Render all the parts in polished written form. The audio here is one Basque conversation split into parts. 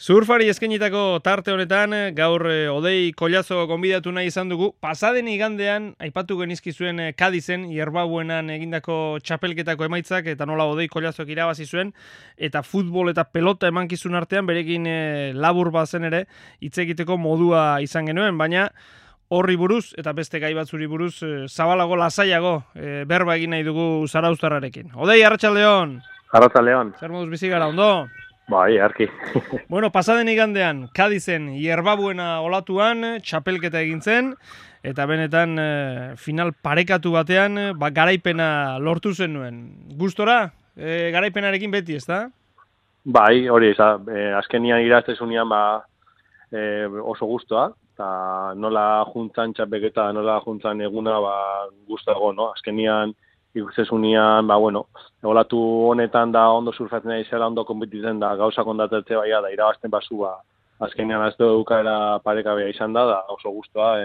Surfari eskainitako tarte honetan, gaur Odei Kollazo gonbidatu nahi izan dugu. Pasaden igandean, aipatu genizkizuen Kadizen, Ierbabuenan egindako txapelketako emaitzak, eta nola Odei Kollazok irabazi zuen, eta futbol eta pelota emankizun artean, berekin labur bazen ere, hitz egiteko modua izan genuen, baina horri buruz, eta beste gai batzuri buruz, zabalago, lasaiago, berba egin nahi dugu Zarauztarrarekin. Odei, arratsaldeon! Arratsaldeon. Zer moduz bizi gara, ondo? Bai, arki. Bueno, pasaden igandean, Kadizen, Ierbabuena olatuan, txapelketa egin zen, eta benetan final parekatu batean, garaipena lortu zen nuen. Gustora, garaipenarekin beti, ezta? Bai, hori, azkenian iraztezunean oso gustoa, eta nola juntzan txapelketa, nola juntzan eguna, gustago, no? Azkenian ikustezunean, olatu honetan da ondo surfatzen nahi zela, ondo konpetitzen da, gauzak ondatetze da irabazten basu, azkenean azte dukaera parekabea izan da oso gustoa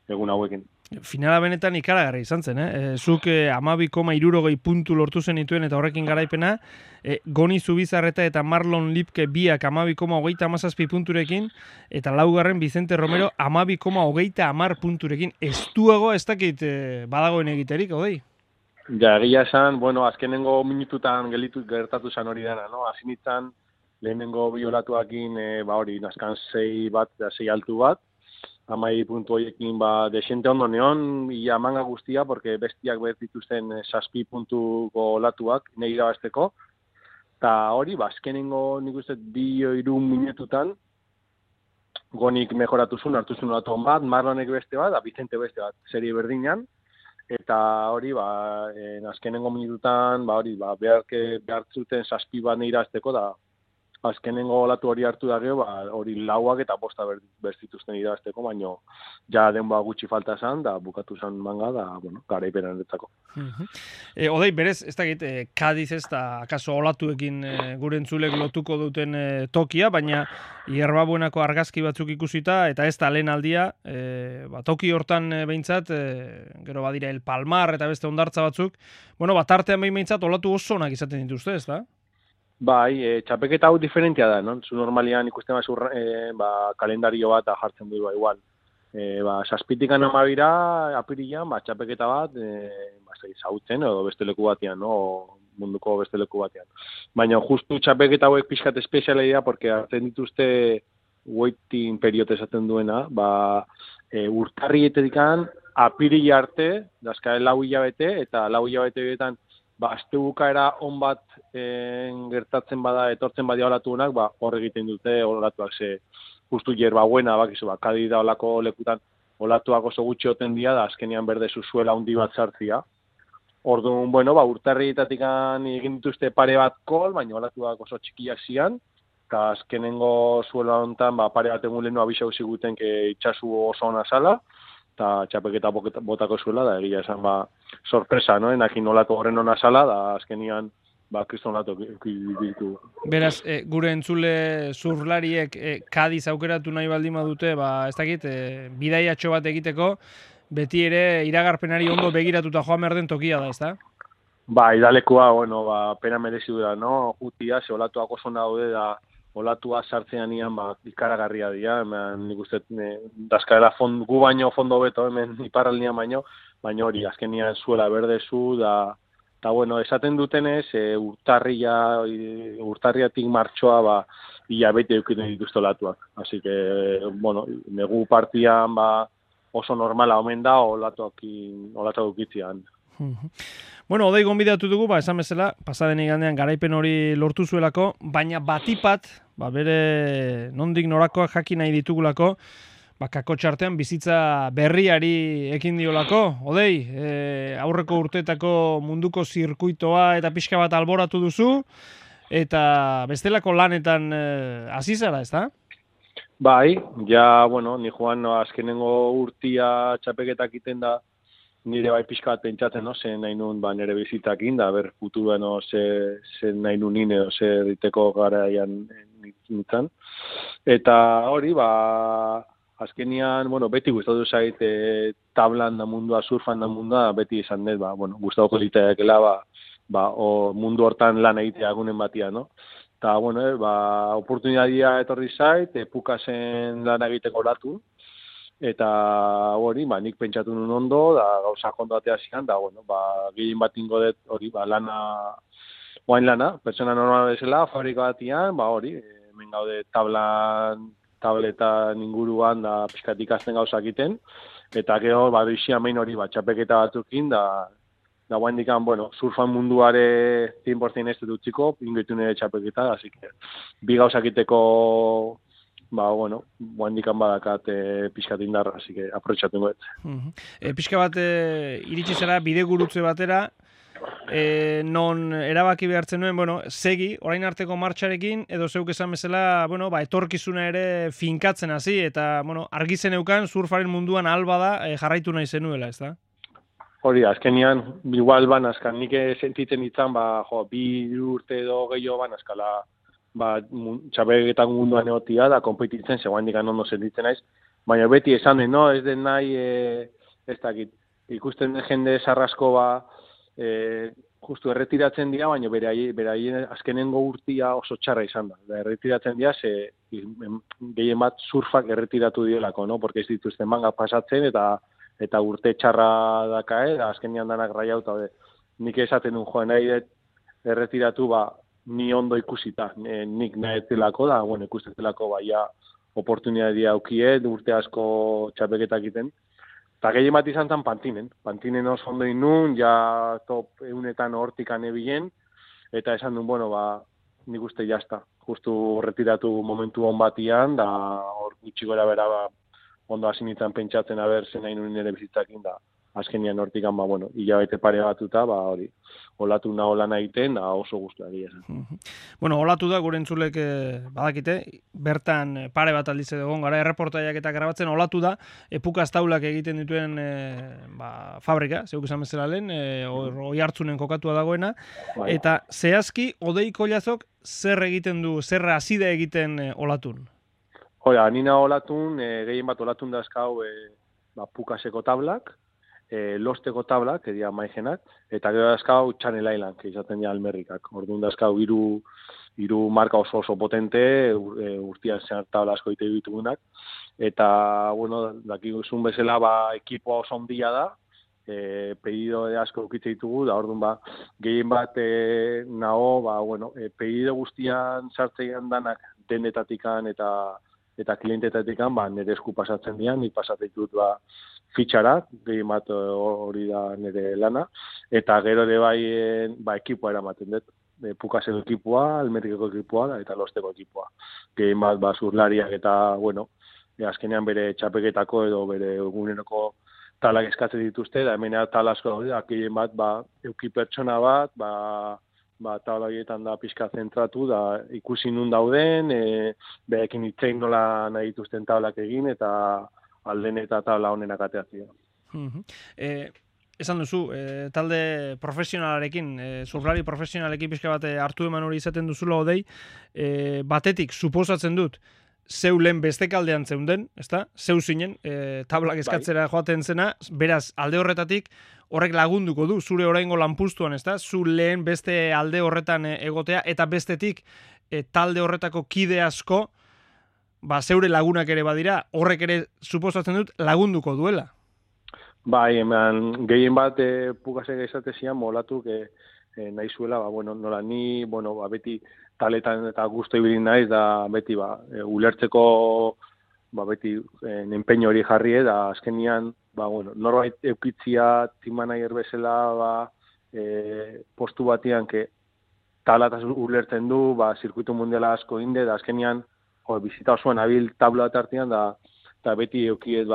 egun hauekin. Finala benetan ikaragarri izan zen, Zuk 12,60 puntu lortu zenituen eta horrekin garaipena, Goni Zubizarreta eta Marlon Lipke biak 12,37 punturekin, eta laugarren Vicente Romero 12,30 punturekin. Estuago ez dakit badagoen egiterik, Odei? Ja, egia esan, azkenengo minututan gertatu zen hori dena, no? Azinitzan, lehenengo bi olatuakin, naskan 6 altu bat, 12 puntu horiekin, desente ondo neon, ia manga guztia, porque bestiak bertituzten 7 puntuko olatuak, nahi irabazteko, eta hori, azkenengo nik uste 2-3 minututan, Gonik mejoratu zuen, hartu zuen olatu bat, Marlonek beste bat, Vicente beste bat, serie berdinan, eta hori, azkenengo minututan, behar zuten 7 bat irazteko, da azkenengo olatu hori hartu da gero, hori lauak eta bosta berzituzten irazteko, baina ja denboa gutxi falta zen, da bukatu zen manga, da, garaipenan eretzako. Odei, berez, ez dakit, Kadiz ez da, akaso olatuekin gure entzulek lotuko duten tokia, baina Ierbabuenako argazki batzuk ikusita, eta ez da lehen aldia, toki hortan behintzat, gero badira El Palmar eta beste ondartza batzuk, tartean behintzat olatu oso onak izaten dituzte, ez da? Bai, txapeketa hau diferentia da, no? Zu normalian ikusten kalendario bat jartzen du igual. Zazpitikan amabira, apirilan, txapeketa bat, zautzen, edo beste leku batean, no? Munduko beste leku batean. Baina justu txapeketa hauek pixkat espeziala dira, porque hartzen dituzte waiting period esaten duena, urtarrietetikan apirila arte, dazka 4 hilabete, eta 4 hilabete betan, azte bukaera on bat gertatzen etortzen badia olatunak, hor egiten dute olatuak, justu Ierbabuena, Kadi da olako lekutan olatuak oso gutxi oten dira, da azkenean berde zuzuela handi bat sartzia. Orduan, urtarrietatik egin dituzte pare bat kol, baina olatuak oso txikiak zian, eta azkenengo zuela honetan pare bat egun lehenu abisau ziguten itxasu oso ona zala, eta txapeketa botako zuela, da egia esan sorpresa, no? Enakin olatu horren ona zala, da azkenian kriston olatu ditu. Beraz, gure entzule zurlariek Kadiz aukeratu nahi baldin badute, ez dakit, bidaiatxo bat egiteko, beti ere iragarpenari ondo begiratuta joan behar den tokia da, ez da? Idalekua, pena merezi da, no? Jutia, ze olatuak oso daude da, olatua sartzean ian, ikaragarria dira, nik uste, dazkaela gu baino fondo beto, hemen iparraldean baino, baina hori, azkenian zuela berdezu, eta esaten dutenez, urtarriatik martxoa, ia bete eukiten dituzte olatuak. Así que, negu partian, oso normala omen da, olatuak eukitzean. Odei gonbidatu dugu, esan bezala, pasaden igandean garaipen hori lortu zuelako, baina batipat, bere nondik norakoak jakin nahi ditugulako, kako txartean bizitza berriari ekin diolako. Odei, aurreko urteetako munduko zirkuitoa eta pixka bat alboratu duzu, eta bestelako lanetan hasi zara, ez da? Bai, ni joan azkenengo urtia txapeketak iten da, nire pixka bat pentsatzen, zen nahi nun nire bizitakin, da ber futuruan zen nahi nun nine, zer diteko garaian nintzen. Eta hori, azkenian, beti gustatu zait tablan da mundua, surfan da mundua, beti izan dut, gustatuko ziteakela, mundu hortan lan egitea egunen batia, no? Eta, bueno, oportunidadia etorri zait, Pukasen lan egiteko olatu, eta hori, nik pentsatu nun ondo, da gauzak ondo atea zian, da, bueno, gehien bat ingo dut hori, oain lana, pertsona normal bezala, fabrika batian, hori, hemen gaude tabletan inguruan, da pixkat ikasten gauzak iten, eta gero, doizia main hori, txapeketa batzukin, da guaindikan, surfan munduare 100% ez dut utziko, ingoitu nire txapeketa, así que, bi gauzakiteko, guaindikan badakat pixkat indarra, así que, aprotxatu ingoet. Pixka bat, iritsi zara, bidegurutze batera, non erabaki behartzen nuen, segi, orain arteko martxarekin, edo zeuk esan bezala, etorkizuna ere finkatzen hasi, eta, argi zeneukan surfaren munduan alba da jarraitu nahi zenuela, ez da? Hori, azkenian, igual azkan, nik sentitzen itzan, 2 urte edo gehiago azkala, txapeketan munduan egotia, da, konpetitzen, zegoen dikan ondo sentitzen naiz, baina beti esan den, ez den nahi, ez dakit, ikusten den jende sarrasko, justu erretiratzen dira, baina beraien azkenengo urtia oso txarra izan da. Erretiratzen dira, gehien bat surfak erretiratu dielako, porque ez dituzten manga pasatzen, eta urte txarra dakae, azkenean danak raiauta, nik esaten duen joan nahi erretiratu, ni ondo ikusita, nik nahi zelako da, ikusten zelako, oportunidadia aukiet, urte asko txapeketak egiten, eta gehien bat izan zen Pantinen oso ondo inun, ja top eunetan hortikan ebilen, eta esan duen, nik uste jazta, justu retiratu momentu hon batian, da hor gutxi gora bera, ondo hasi nintzen pentsatzen zen nahi nuen nire bizitzakin, da azkenian hortikan, hilabete pare batuta, hori, olatu naho lan egiten, da oso guztua egia zen. Olatu da, gure entzulek badakite, bertan pare bat aldiz edo gara, erreportaiak eta grabatzen, olatu da, Pukaz taulak egiten dituen fabrika, zeuk esan bezala lehen, oi hartzunen kokatua dagoena, eta zehazki, Odei Kollazok zer egiten du, zer hasida egiten olatun? Hora, nina olatun, gehien bat olatun dazkau Pukaseko tablak, losteko tablak, edia maigenak, eta gero dazkau Channel Island, izaten dira almerrikak. Orduan dazkau hiru marka oso potente, urtian zehar tabla asko ite ditugunak, eta, dakiguzun bezala, ekipoa oso ondia da, pedido asko ukitze ditugu, da orduan gehien bat pedido guztian sartzean danak denetatikan eta klientetatikan, nire esku pasatzen dian, nik pasatzen dut fitxara, gehien bat hori da nire lana, eta gero ere ekipoa eramaten dut. Pukaseko ekipoa, almerikeko ekipoa, eta losteko ekipoa. Gehien bat zurlariak eta, azkenean bere txapeketako edo bere eguneroko talak eskatzen dituzte, da hemen tal asko daude, gehien bat euki pertsona bat, tabla horietan da pixka zentratu, da ikusi nun dauden, berekin itzein nola nahi dituzten tablak egin, eta alden eta tabla honenak ateatzea. Esan duzu, talde profesionalarekin, surflari profesionalekin pixka bat hartu eman hori izaten duzula Odei, batetik, suposatzen dut, zeu lehen bestekaldean zeunden, ezta? Zeu zinen, tablak eskatzera joaten zena, beraz, alde horretatik, horrek lagunduko du, zure oraingo lanpustuan, ezta? Zu lehen beste alde horretan egotea, eta bestetik, talde horretako kide asko, zeure lagunak ere badira, horrek ere, suposatzen dut, lagunduko duela. Bai, gehien bat Pukasek esatezian, molatuk nahi zuela, nola ni, beti taletan eta guztu ibilin naiz, da beti ulertzeko beti enpeño hori jarri, da azkenian, norbait eukitzia timanayer bezala postu batian, talataz ulertzen du, zirkuitu mundiala asko inde, da azkenian, bizita osoan abil tabla bat artean, eta beti eukiet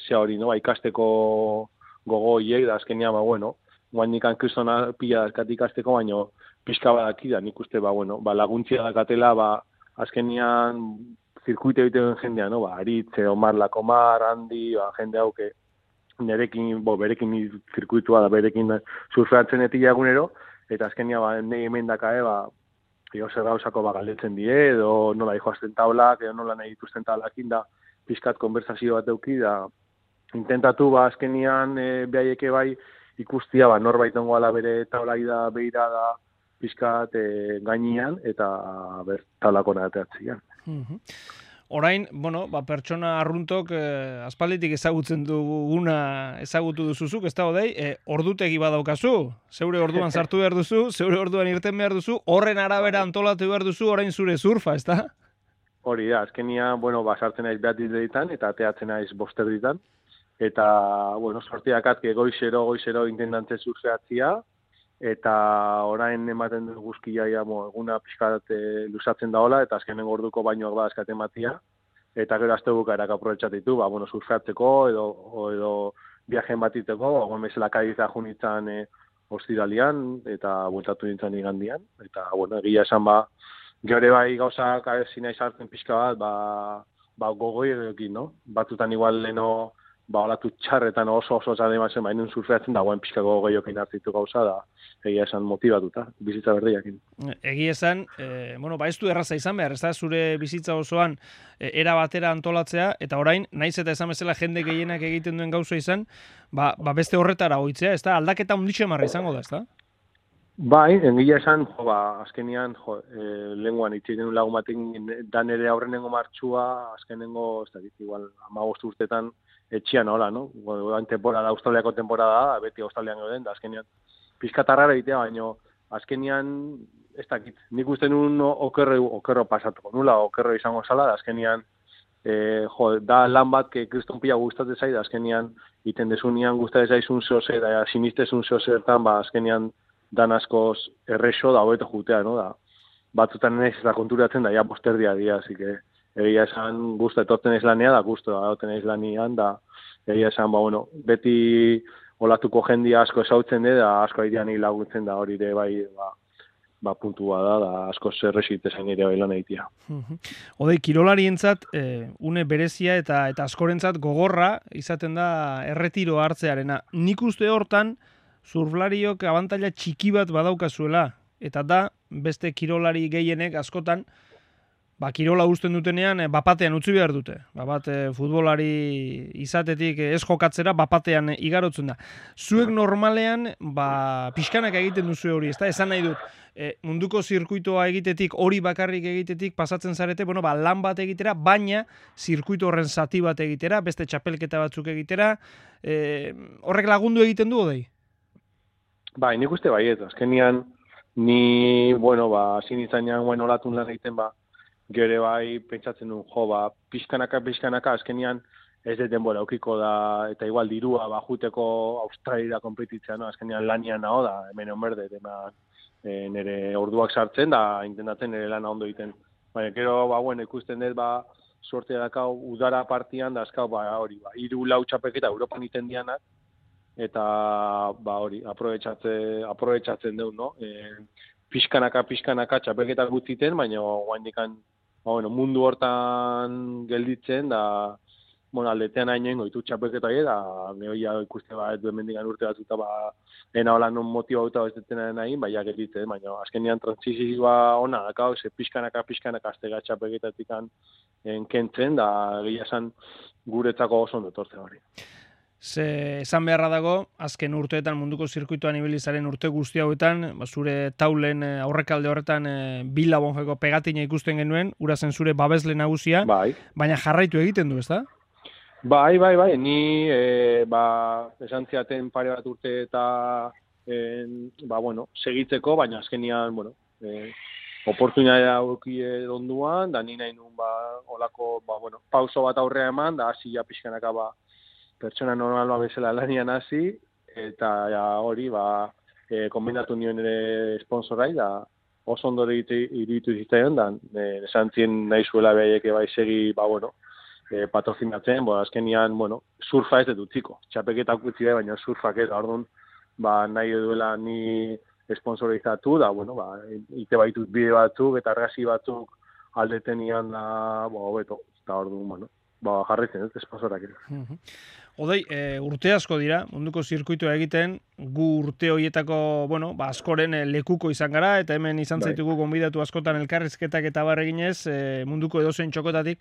zea hori, ikasteko gogo hiek, da azkenian, guain nikan kristona pila dazkat ikasteko, baina pixka badaki da, nik uste, laguntzia dakatela, azkenian zirkuite egiten jendean, Aritze, Omar Lakomar, Andi, jende hauke, berekin zirkuitua da, berekin surfeatzen etila egunero, eta azkenian, nahi hemen dakae, zer gauzako galdetzen die, edo nola dihoazten taulak, edo nola nahi dituzten taulakin da, pixkat konversazio bat euki, da, intentatu, azkenian, behaieke ikustia, norbait ongoala bere taulai da, behira da, pixkat gainean eta bertalako nateatzian. Orain, bueno, pertsona arruntok aspalditik ezagutzen duguna ezagutu duzuzuk, ez da Odei, ordutegi badaukazu, zeure orduan sartu behar duzu, zeure orduan irten behar duzu, horren arabera antolatu behar duzu orain zure surfa, ez da? Hori da, azkenia, bueno, sartzen naiz behat ditan eta ateatzen naiz boster ditan. Eta, bueno, sortiakat, goizero intendantze surfeatzia, eta orain ematen du guzkia, eguna pixkat luzatzen daola, eta azkenen orduko bainoak badazkat ematia, eta gero azte bukaerak aprobetxatitu, bueno, surfeatzeko, edo viajen batiteko, guen bezala Kadiza junitzen ostiralian, eta bueltatu nintzen igandian, eta, bueno, egia esan, gero bai gauzak zinaiz hartzen pixka bat, gogoi edokin, no? Batutan igual leno, olatu txarretan oso zademazen, baina surfeatzen dagoen pixkako gehiokin hartzitu gauza da, egia esan motibatuta, bizitza berdiakin. Egia esan, ez du erraza izan behar, ez da, zure bizitza osoan era batera antolatzea, eta orain, naiz eta esan bezala jende gehienak egiten duen gauza izan, beste horretara oitzea, ez da, aldaketa onditxe marra izango da, ez da? Bai, egia esan, azkenian, lenguan itxeiten lagun batekin, dan ere aurrenengo martxua, azkenengo, ez da, igual, 15 urtetan, etxian hola, no? Australiako temporada da, beti Australian gauden, da azkenian pizkatarrara egitea, baina azkenian, ez dakit, nik uste nun okerro pasatuko, nula okerro izango zala, da azkenian, da lan bat, kriston pila gustatzen zait, da azkenian, iten desunian gustatzen zaizun zehose, da sinistezun zehozertan, azkenian, dan askoz errexo da hobeto jutea, no? Da, batzutan ez da konturatzen, da ja posterdia dira, así que egia esan guztu etortzen ez lania, da guztu etortzen ez lanian, da egia esan, beti olatuko jendia asko esautzen da asko aidean laguntzen da hori ere bai, puntua da asko zerrexitezen ere bai lan egitea. Odei, kirolarientzat, une berezia eta askorentzat gogorra izaten da erretiro hartzearena. Nik uste hortan, surflariok abantaila txiki bat badaukazuela, eta da, beste kirolari gehienek askotan, kirola uzten dutenean, bapatean utzi behar dute. Futbolari izatetik ez jokatzera, bapatean igarotzen da. Zuek normalean, pixkanak egiten duzu hori, ez da? Esan nahi dut, munduko zirkuitoa egitetik, hori bakarrik egitetik pasatzen zarete, lan bat egitera, baina zirkuito horren zati bat egitera, beste txapelketa batzuk egitera, horrek lagundu egiten du, Odei? Bai, nik uste bai, ez, azkenian, ni, zinitzanean, olatun lan egiten, gero bai, pentsatzen duen, pixkanaka, azkenian, ez de denbora aukiko da, eta igual dirua, juteko Australia konpetitzea, no? Azkenian lanian naho da, hemen onberde, nire orduak sartzen, da, intentatzen nire lana ondo egiten. Baina, gero, ikusten dut, suertea dakau, udara partian, da, azkau, hori, 3-4 txapelketa Europan iten dianak, eta hori, aprobetxatzen dut, no? Pixkanaka txapelketak gutziten, baina guaindikan mundu hortan gelditzen, da aldetean hainen goitu txapelketa da nehoia ikuste duen mendigan urte batzuta ena hola non motibauta ez detena nahi, gelditzen, baina azkenian transizioa ona dakau, pixkanaka aztega txapelketatik kentzen, da gila esan guretzako oso ondo etortzen hori. Esan beharra dago, azken urteetan munduko zirkuitoan ibilizaren urte guzti hauetan, zure taulen aurrekalde horretan Bila Bonjeko pegatina ikusten genuen, ura zen zure babesle nagusia, baina jarraitu egiten du, ezta? Bai, ni esan ziaten pare bat urte eta segitzeko, baina azkenian, oportunitatea auki onduan, da ni nahi nun olako pauso bat aurrea eman, da hasi ja pixkanaka pertsona normaloa bezala lanian hasi, eta hori, kombinatu nion ere sponsorai, da oso ondo iritu zitzaion, da esan zien nahi zuela behaieke segi, patrozinatzen, azkenian, surfa ez dut utziko. Txapeketak utzi baina surfak ez, orduan, nahi duela ni sponsorizatu, da, ite baitut bide batzuk, eta argazki batzuk aldetenian da, hobeto, eta orduan, jarritzen ez, sponsorak. Odei, urte asko dira, munduko zirkuitoa egiten, gu urte horietako, askoren lekuko izan gara, eta hemen izan zaitugu gonbidatu askotan elkarrizketak eta barreginez, munduko edozein txokotatik.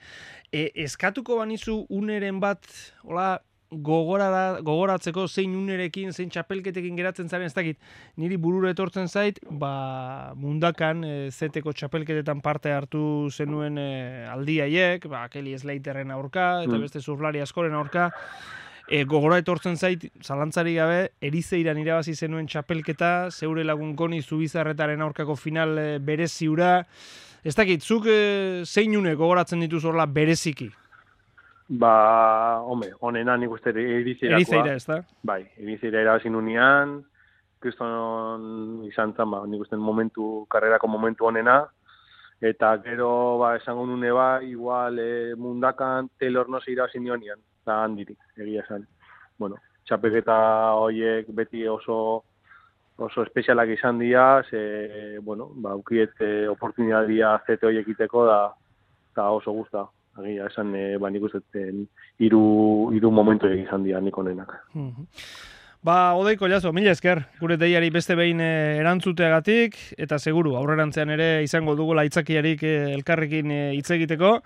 Eskatuko banizu uneren bat, hola, gogoratzeko zein unerekin, zein txapelketekin geratzen zaren, ez dakit, niri burura etortzen zait, mundakan zeteko txapelketetan parte hartu zenuen aldi haiek, Kelly Slaterren aurka, eta beste surflari askoren aurka, gogora etortzen zait, zalantzari gabe, Erizeiran irabazi zenuen txapelketa, zeure lagun Goni Zubizarretaren aurkako final bereziura. Ez dakit, zuk zein une gogoratzen dituz horla bereziki? Hombre, honena nik uste Erizeirakoa. Erizeira, ez da? Bai, Erizeira irabazi nunean, kriston izan zen, nik uste karrerako momentu honena, eta gero, esango nune igual mundakan Taylor Nosse irabazi nionean. Eta handirik, egia esan. Bueno, txapelketa horiek beti oso espezialak izan dira, ukiet oportunidadia zete horiek iteko da oso guzta. Egia esan, nik uste hiru momentu izan dira nik honenak. Odei Collazo, mila esker, gure deiari beste behin erantzuteagatik, eta seguru, aurrerantzean ere izango dugula aitzakiarik elkarrekin hitz egiteko,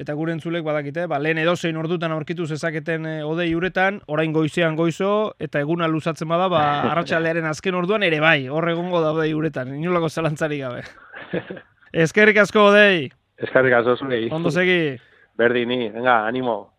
eta gure entzulek badakite, lehen edozein ordutan aurkitu zezaketen Odei uretan, orain goizean goizo, eta eguna luzatzen bada, arratsaldearen azken orduan ere bai, hor egongo da Odei uretan, inolako zalantzarik gabe. Eskerrik asko, Odei! Eskerrik asko zurei. Ondo segi. Berdini, venga, animo.